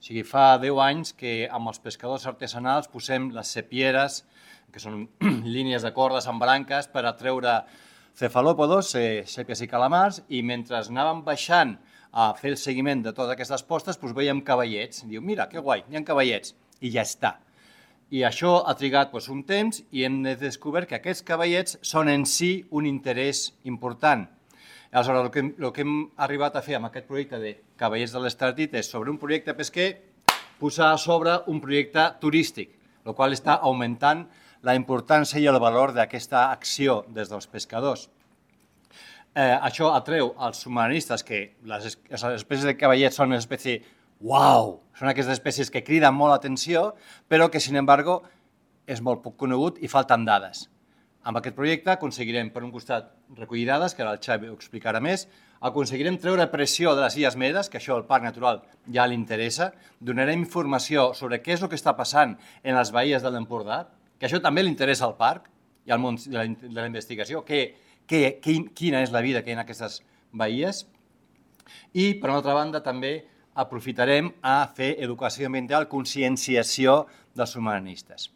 sigui, fa 10 anys que amb els pescadors artesanals posem les sepieres, que són línies de cordes amb branques per atreure cefalòpodes, sèpies i calamars, i mentre anàvem baixant a fer el seguiment de totes aquestes postes, doncs veiem cavallets. Diu, mira, que guai, hi ha cavallets. I ja està. I això ha trigat un temps i hem descobert que aquests cavallets són en si un interès important. Aleshores, el que hem arribat a fer amb aquest projecte de Cavallets de l'Estartit és sobre un projecte pesquer posar a sobre un projecte turístic, el qual està augmentant la importància i el valor d'aquesta acció des dels pescadors. Això atreu als submarinistes, que les espècies de cavallets són una espècie uau, són aquestes espècies que criden molt l'atenció, però que, sin embargo, és molt poc conegut i falten dades. Amb aquest projecte aconseguirem, per un costat, recollir dades, que ara el Xavi ho explicarà més, aconseguirem treure pressió de les Illes Medes, que això al Parc Natural ja li interessa, donarem informació sobre què és el que està passant en les baies de l'Empordà, que això també li interessa al parc i al món de la investigació, quina és la vida que hi ha en aquestes baies. I, per una altra banda, també aprofitarem a fer educació ambiental, conscienciació dels submarinistes.